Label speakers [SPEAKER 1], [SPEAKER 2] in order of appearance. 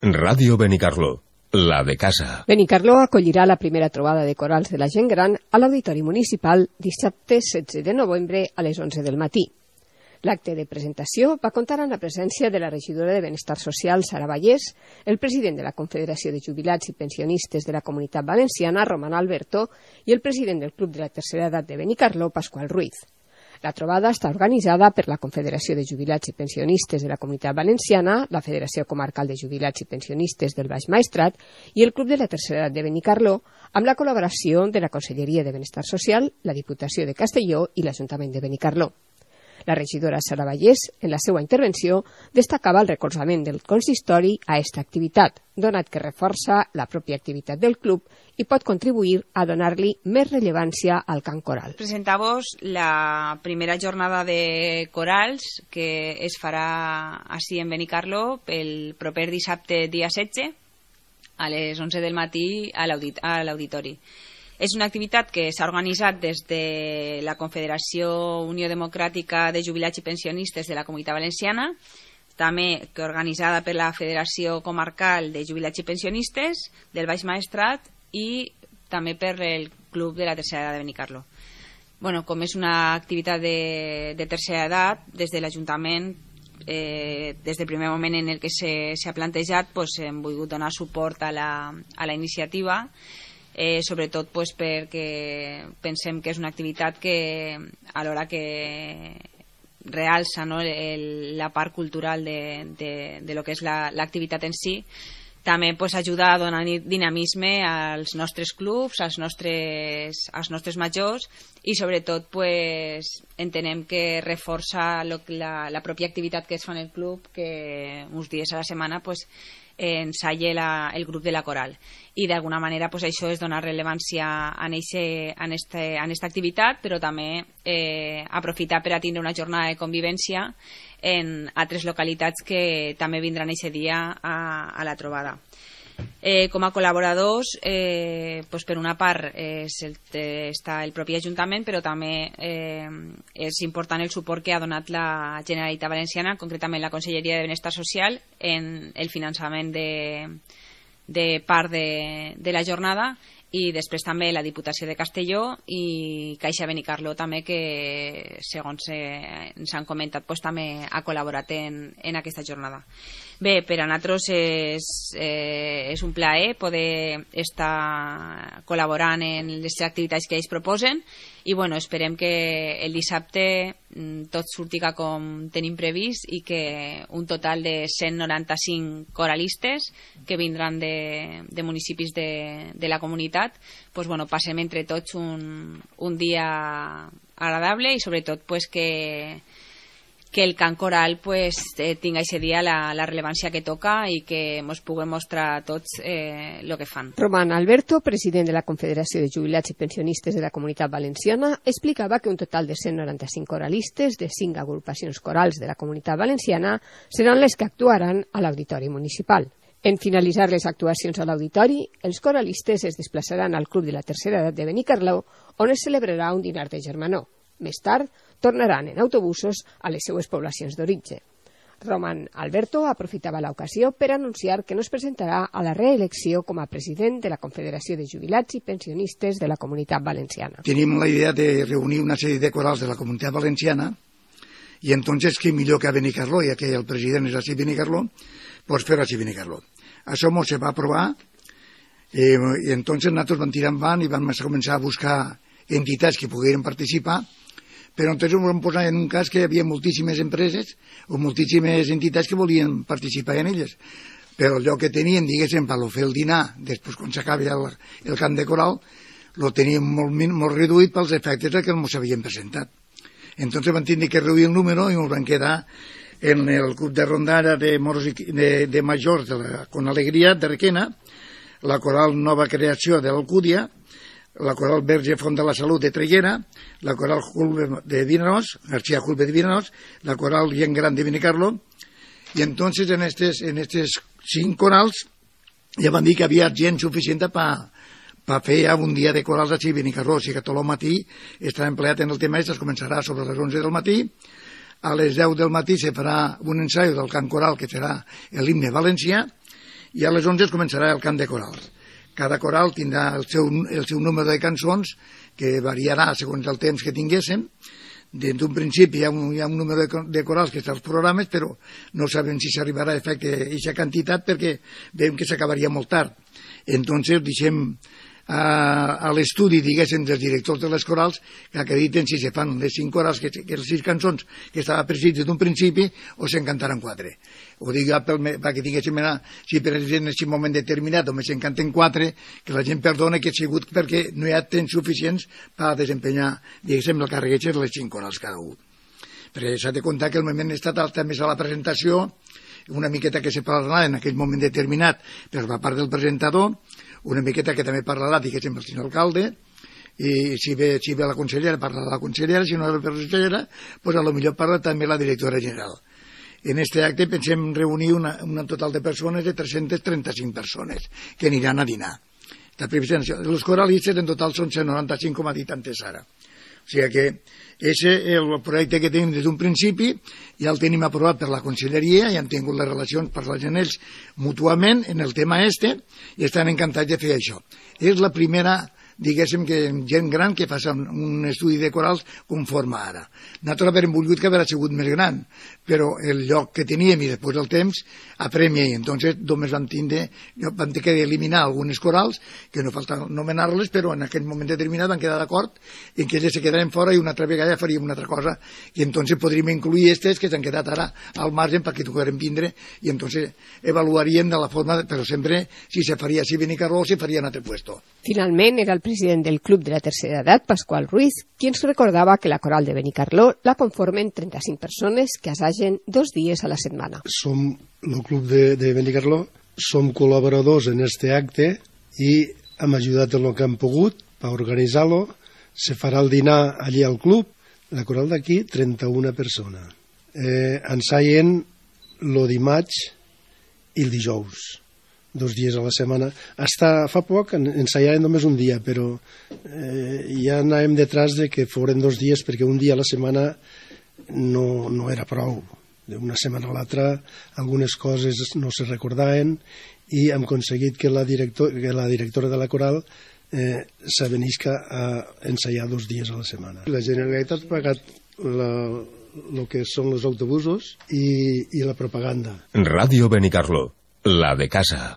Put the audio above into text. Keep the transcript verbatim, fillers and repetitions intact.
[SPEAKER 1] Ràdio Benicarló, la de casa.
[SPEAKER 2] Benicarló acollirà la primera trobada de corals de la gent gran a l'Auditori Municipal dissabte setze de novembre a les onze del matí. L'acte de presentació va comptar amb la presència de la regidora de Benestar Social, Sara Vallès, el president de la Confederació de Jubilats i Pensionistes de la Comunitat Valenciana, Roman Alberto, i el president del Club de la Tercera Edat de Benicarló, Pasqual Ruiz. La trobada està organitzada per la Confederació de Jubilats i Pensionistes de la Comunitat Valenciana, la Federació Comarcal de Jubilats i Pensionistes del Baix Maestrat i el Club de la Tercera Edat de Benicarló, amb la col·laboració de la Conselleria de Benestar Social, la Diputació de Castelló i l'Ajuntament de Benicarló. La regidora Sara Vallès, en la seva intervenció, destacava el recolzament del consistori a aquesta activitat, donat que reforça la pròpia activitat del club i pot contribuir a donar-li més rellevància al cant coral.
[SPEAKER 3] Presentamos la primera jornada de corals que es farà així en Benicarló el proper dissabte dia setze a les onze del matí a l'auditori. És una activitat que s'ha organitzat des de la Confederació Unió Democràtica de Jubilats i Pensionistes de la Comunitat Valenciana, també que organitzada per la Federació Comarcal de Jubilats i Pensionistes del Baix Maestrat i també per el Club de la Tercera Edat de Benicarló. Bueno, com és una activitat de, de tercera edat, des de l'Ajuntament, eh, des del primer moment en el que s'ha plantejat, pues, hem volgut donar suport a la, a la iniciativa, Eh, sobretot pues, perquè pensem que és una activitat que alhora que realça, no, el, la part cultural de, de, de lo que és l'activitat la, en si, també pues, ajuda a donar dinamisme als nostres clubs, als nostres, als nostres majors i sobretot pues, entenem que reforça lo, la, la pròpia activitat que es fa en el club, que uns dies a la setmana pues, ensalla la, el grup de la coral i d'alguna manera pues, això és donar rellevància en aquesta activitat, però també eh, aprofitar per a tindre una jornada de convivència en altres localitats que també vindran aquest dia a, a la trobada. Eh, com a col·laboradors, eh, pues per una part eh, el, eh, està el propi Ajuntament, però també eh, és important el suport que ha donat la Generalitat Valenciana, concretament la Conselleria de Benestar Social, en el finançament de, de part de, de la jornada, i després també la Diputació de Castelló i Caixa Benicarló també, que segons eh, ens han comentat pues, també ha col·laborat en, en aquesta jornada. Bé, per a nosaltres és, eh, és un plaer poder estar col·laborant en les activitats que ells proposen i bueno, esperem que el dissabte tot surtiga com tenim previst i que un total de cent noranta-cinc coralistes que vindran de, de municipis de, de la comunitat pues, bueno, passem entre tots un, un dia agradable i sobretot pues, que que el cant coral pues, eh, tinga aquest dia la, la rellevància que toca i que ens puguem mostrar a tots el eh, que fan.
[SPEAKER 2] Roman Alberto, president de la Confederació de Jubilats i Pensionistes de la Comunitat Valenciana, explicava que un total de cent noranta-cinc coralistes de cinc agrupacions corals de la Comunitat Valenciana seran les que actuaran a l'Auditori Municipal. En finalitzar les actuacions a l'auditori, els coralistes es desplaçaran al Club de la Tercera Edat de Benicarló, on es celebrarà un dinar de germanor. Més tard, tornaran en autobusos a les seues poblacions d'origen. Roman Alberto aprofitava l'ocasió per anunciar que no es presentarà a la reelecció com a president de la Confederació de Jubilats i Pensionistes de la Comunitat Valenciana.
[SPEAKER 4] Tenim la idea de reunir una sèrie de corals de la Comunitat Valenciana i entonces què millor que a Benicarló, ja que el president és així Benicarló, pues fer-ho així Benicarló. Això mos se va aprovar eh, i entonces nosaltres vam tirar endavant i vam començar a buscar entitats que pogueren participar, però entonces ens vam posar en un cas que hi havia moltíssimes empreses o moltíssimes entitats que volien participar en elles, però el lloc que tenien, diguéssim, per fer el dinar, després quan s'acabi el, el cant de coral, lo teníem molt, molt reduït pels efectes que ens havien presentat. Entonces vam tenir que reduir el número i ens vam quedar en el club de rondalla de, moros i, de, de majors de la, con alegria de Requena, la coral Nova Creació de l'Alcúdia, la coral Verge Font de la Salut de Traiguera, la coral Julbe de Vinaròs, García Julbe de Vinaròs, la coral Gent Gran de Benicarló, i entonces en estes, en estes cinc corals ja van dir que havia gent suficient per pa fer ja un dia de corals així a Benicarló, o sigui que tot el matí estarà empleat en el tema, es començarà sobre les onze del matí, a les deu del matí se farà un ensaio del cant coral que serà l'himne valencià i a les onze es començarà el cant de corals. Cada coral tindrà el seu, el seu número de cançons, que variarà segons el temps que tinguéssim. D'un principi hi ha, un, hi ha un número de, de corals que està als programes, però no sabem si s'arribarà a efecte aquesta quantitat perquè veiem que s'acabaria molt tard. Entonces deixem a, a l'estudi, diguéssim, dels directors de les corals que acrediten si se fan les cinc corals, que, que les sis cançons que estava prescrits des d'un principi, o se'n cantaran quatre. Ho dic pel, perquè tinguéssim anar, si per exemple en aquest moment determinat només se'n canten quatre, que la gent perdona que ha sigut perquè no hi ha temps suficients per desempenyar, diguéssim, el càrrec de les cinc corals cada un. Perquè s'ha de comptar que el moment estatal també és a la presentació, una miqueta que se parlarà en aquell moment determinat per la part del presentador, una miqueta que també parlarà, diguéssim, el senyor alcalde, i si ve, si ve la consellera, parlarà la consellera, si no ve la consellera, doncs a lo millor parla també la directora general. En aquest acte pensem reunir una, un total de persones de tres-centes trenta-cinc persones que aniran a dinar. Els coralistes en total són cent noranta-cinc, com ha dit antes ara. O sigui que aquest és el projecte que tenim des d'un principi, ja el tenim aprovat per la conselleria, ja han tingut les relacions per la gent ells mútuament en el tema este, i estan encantats de fer això. És la primera, diguéssim, que gent gran que fa un estudi de corals conforme ara. Nosaltres havíem volgut que haguera sigut més gran, però el lloc que teníem i després el temps apremia, i entonces només vam tindre, vam ter que eliminar algunes corals, que no falta nomenar-les, però en aquell moment determinat van quedar d'acord en que elles se quedaran fora i una altra vegada faríem una altra cosa, i entonces podríem incluir aquestes que s'han quedat ara al marge perquè tocarem vindre, i entonces avaluaríem de la forma, però sempre si se faria així Benicarló o se faria en altre puesto.
[SPEAKER 2] Finalment era el president del Club de la Tercera Edat, Pascual Ruiz, quien recordaba que la coral de Benicarló la conformen trenta-cinc persones que assagen dos dies a la setmana.
[SPEAKER 5] Som el Club de, de Benicarló, som col·laboradors en este acte i hem ajudat en el que hem pogut per organitzar-lo. Se farà el dinar allí al club. La coral d'aquí, trenta-una persones. Eh, ensaien el dimarts i el dijous. Dos dies a la setmana. Hasta fa poc ensaiàvem només un dia, però eh, ja anàvem detrás de que foren dos dies perquè un dia a la setmana no, no era prou. D'una setmana a l'altra algunes coses no se recordaven i hem aconseguit que la, director, que la directora de la coral eh, s'avenisca a ensaiar dos dies a la setmana. La Generalitat ha pagat el que són els autobusos i, i la propaganda.
[SPEAKER 1] Ràdio Benicarló, la de casa.